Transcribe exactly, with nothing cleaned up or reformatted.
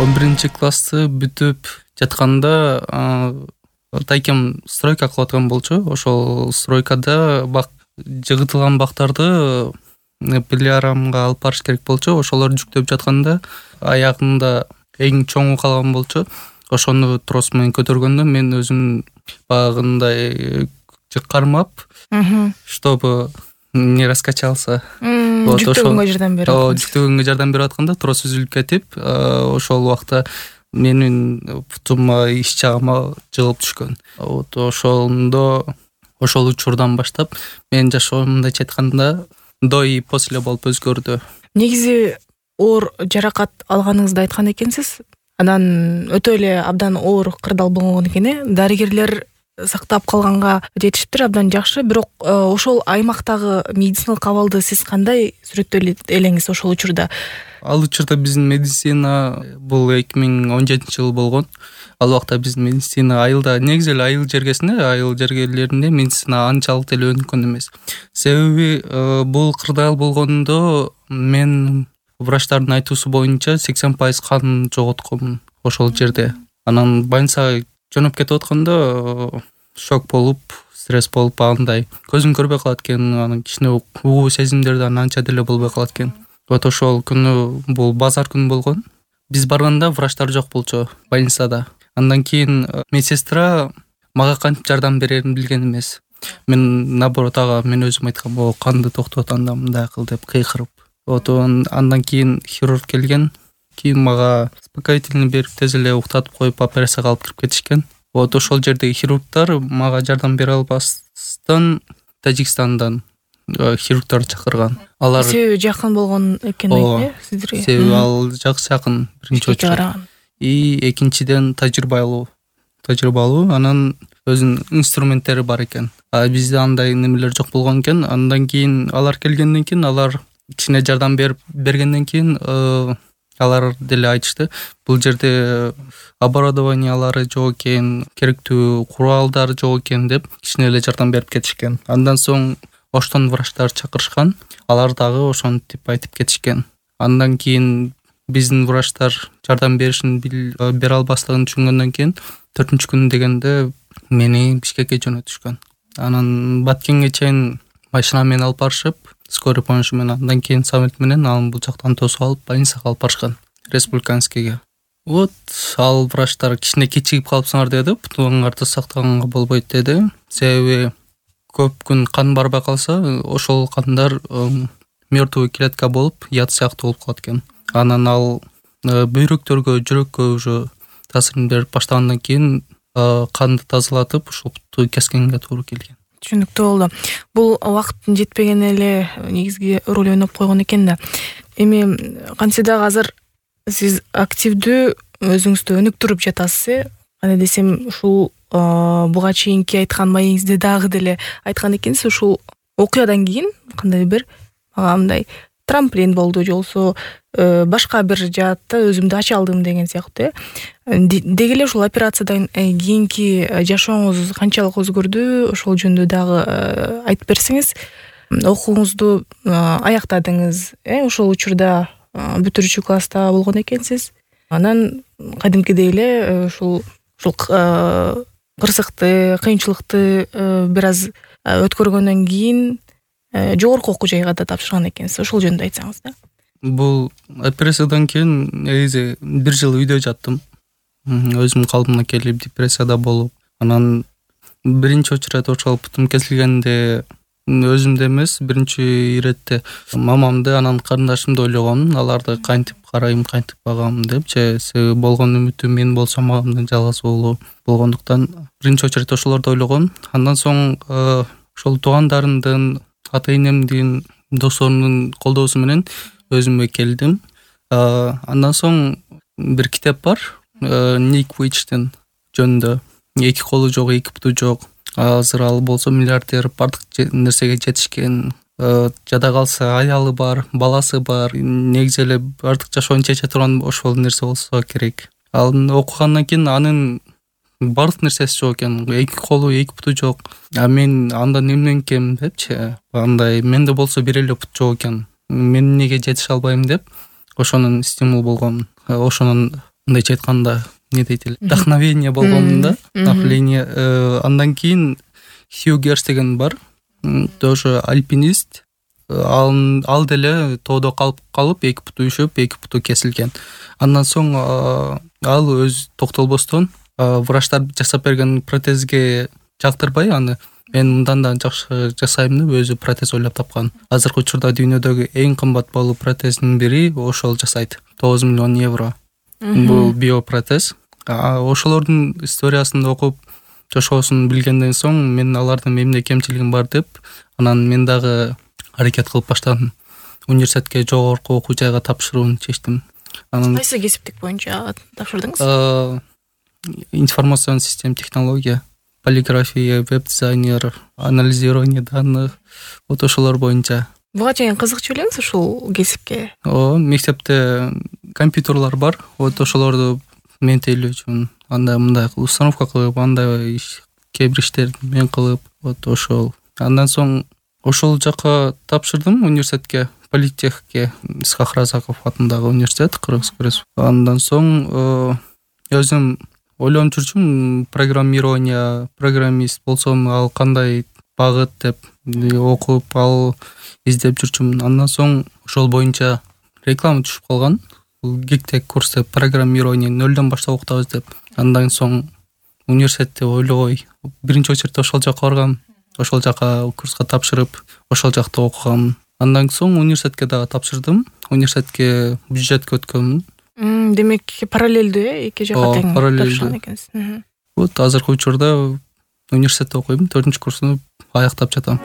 он биринчи классты бүтүп жатканда тайкем стройка кылып аткан болчу. Ошол стройкада бак жыгытылган бактарды пилиарамга алып барыш керек болчу. Ошолор жүктөп жатканда аягында эң чоңу калган болчу. Ошону трос менен көтөргөндө мен өзүм багындай кармап, чтобы не раскачался. Жүктөгөнгө жардам берип аткан. Жүктөгөнгө жардам берип атканда трос үзүлүп кетип, ошол убакта менин бутума иш жагыма жыгылып түшкөн. Вот ошондо ошол учурдан баштап менин жашоом мындайча айтканда до и после болуп өзгөрдү. Негизи оор жаракат алганыңызды айткан экенсиз. Анан өтө эле абдан оор кырдаал болгон экен э. Дарыгерлер сактап калганга жетиштир, абдан жакшы. Бирок ошол аймактагы медициналык абалды сиз кандай сүрөттөй элеңиз ошол учурда? Ал учурда биздин медицина бул эки миң он жетинчи жыл болгон. Ал убакта биздин медицина айылда, негизи эле айыл жергесинде, айыл жергелеринде медицина анчалык деле өнүккөн эмес. Себеби бул кырдаал болгондо мен врачтардын айтуусу боюнча сексен пайыз кан жоготком ошол жерде. Анан больницага жөнөп кетип атканда шок болуп, стресс болуп, андай көзүм көрбөй калат экен, анан кичине угуу сезимдерди анча деле болбой калат экен. Вот ошол күнү бул базар күнү болгон. Биз барганда врачтар жок болчу больницада. Андан кийин медсестра мага кантип жардам берерин билген эмес. Мен наоборот ага мен өзүм айткам, о канды токтот анда мындай кыл деп кыйкырып. Вот андан кийин хирург келген. Кийин мага успокоительный берип тез эле уктатып коюп операцияга алып кирип кетишкен. Вот ошол жердеги хирургдар мага жардам бере албастан Тажикстандан хирургдар чакырган. Алар себеби жакын болгон экен э сиздерге. Себеби ал жакшы биринчи очур. И экинчиден тажрыйбалуу. Тажрыйбалуу, анан өзүнүн инструменттери бар экен. А бизде андай немелер жок болгон экен. Андан кийин алар келгенден кийин алар кичине жардам берип бергенден кийин алар деле айтышты, бул жерде оборудованиялары жок экен, керектүү куралдар жок экен деп кичине эле жардам берип кетишкен. Андан соң оштон врачтар чакырышкан. Алар дагы ошентип айтып кетишкен. Андан кийин биздин врачтар жардам беришин бере албастыгын түшүнгөндөн кийин төртүнчү күн дегенде мени Бишкекке жөнөтүшкөн. Анан Баткенге чейин машина менен алып барышып, скорый помощь менен, андан кийин самолет менен аны бул жактан тосуп алып больницага алып барышкан, республиканскийге. Вот ал врачтар кичине кечигип калыпсыңар деди, бутуңарды сактаганга болбойт деди. Себеби көп күн кан барбай калса, ошол кандар мертвый клетка болуп, яд сыяктуу болуп калат экен. Анан ал бүйрөктөргө, жүрөккө уже таасирин берип баштагандан кийин канды тазалатып, ушул бутту кескенге туура келген. Түшүнүктүү болду. Бул убакыттын жетпеген эле негизги роль ойноп койгон экен да. Эми кантсе дагы азыр сиз активдүү өзүңүздү өнүктүрүп жатасыз э. Кандай десем, ушул буга чейинки айткан маегиңизде дагы деле айткан экенсиз, ушул окуядан кийин кандай бир мага мындай трамплин болду, же болбосо башка бир жаатта өзүмдү ача алдым деген сыяктуу э. Деги эле ушул операциядан кийинки жашооңуз канчалык өзгөрдү? Ошол жөнүндө дагы айтып берсеңиз. Окууңузду аяктадыңыз э, ошол учурда бүтүрүүчү класста болгон экенсиз. Анан кадимкидей эле ушул ушул кырсыкты, кыйынчылыкты бир аз өткөргөндөн кийин жогорку окуу жайга да тапшырган экенсиз. Ошол жөнүндө айтсаңыз да. Бул операциядан кийин негизи бир жыл үйдө жаттым. Өзүм калыбыма келип, депрессияда болуп, анан биринчи очередь ошол бутум кесилгенде өзүмдү эмес, биринчи иретте мамамды, анан карындашымды ойлогом, аларды кантип карайм, кантип багам депчи. Себеби болгон үмүтүм мен болсом мамамдын жалгыз уулу болгондуктан биринчи очередь ошолорду ойлогом. Андан соң ошол туугандарымдын, ата-энемдин, досторумдун колдоосу менен өзүмө келдим. Андан соң бир китеп бар, Ник Вуйчтин жөнүндө. Эки колу жок, эки буту жок. Азыр ал болсо миллиардер, бардык нерсеге жетишкен. Жада калса аялы бар, баласы бар. Негизи эле бардык жашоонун чече турган ошол нерсе болсо керек. Ал окугандан кийин анын бардык нерсеси жок экен. Эки колу, эки буту жок. А мен андан эмнен кем депчи. Андай менде болсо бир эле бут жок экен. Мен неге жетише албайм деп ошонун стимул болгон. Ошонун мындайча айтканда эмне дейт эле, вдохновение болгон да. Вдохновение. Андан кийин Хью Герс деген бар, тоже альпинист. Ал ал деле тоодо калып калып эки буту үшөп, эки буту кесилген. Андан соң ал өз токтолбостон врачтар жасап берген протезге жактырбай, аны мен мындан да жакшы жасайм деп өзү протез ойлоп тапкан. Азыркы учурда дүйнөдөгү эң кымбат баалуу протездин бири ошол жасайт. тогуз миллион евро. Бул биопротез. Ошолордун историясын окуп, жашоосун билгенден соң мен алардын эмне кемчилигим бар деп, анан мен дагы аракет кылып баштадым. Университетке жогорку окуу жайга тапшырууну чечтим. Анан кайсы кесиптик боюнча тапшырдыңыз? Информационный систем технология, полиграфия, веб-дизайнер, анализирование данных, вот ошолор боюнча. Буга чейин кызыкчу элеңиз ушул кесипке? О, мектепте компьютерлар бар, вот ошолорду ментейлөө үчүн андай мындай установка кылып, андай кээ бир иштерди мен кылып, вот ошол. Андан соң ошол жака тапшырдым университетке, политехке, Исхак Разаков атындагы университет, Кыргыз Республикасы. Андан соң өзүм ойлонуп жүрчүм, программирование, программист болсом ал кандай багыт деп окуп, ал издеп жүрчүмүн. Андан соң ошол боюнча реклама түшүп калган. Гиктек курс деп, программирование нөлдөн баштап окутабыз деп. Андан соң университетте ойлобой биринчи очередте ошол жака баргам. Ошол жака курска тапшырып, ошол жакта окугам. Андан соң университетке дагы тапшырдым. Университетке бюджетке өткөнмүн. Демек параллелдүү э, эки жака тең тапшырган экенсиз. Вот азыркы учурда университетте окуйм, төртүнчү курсуну аяктап жатам.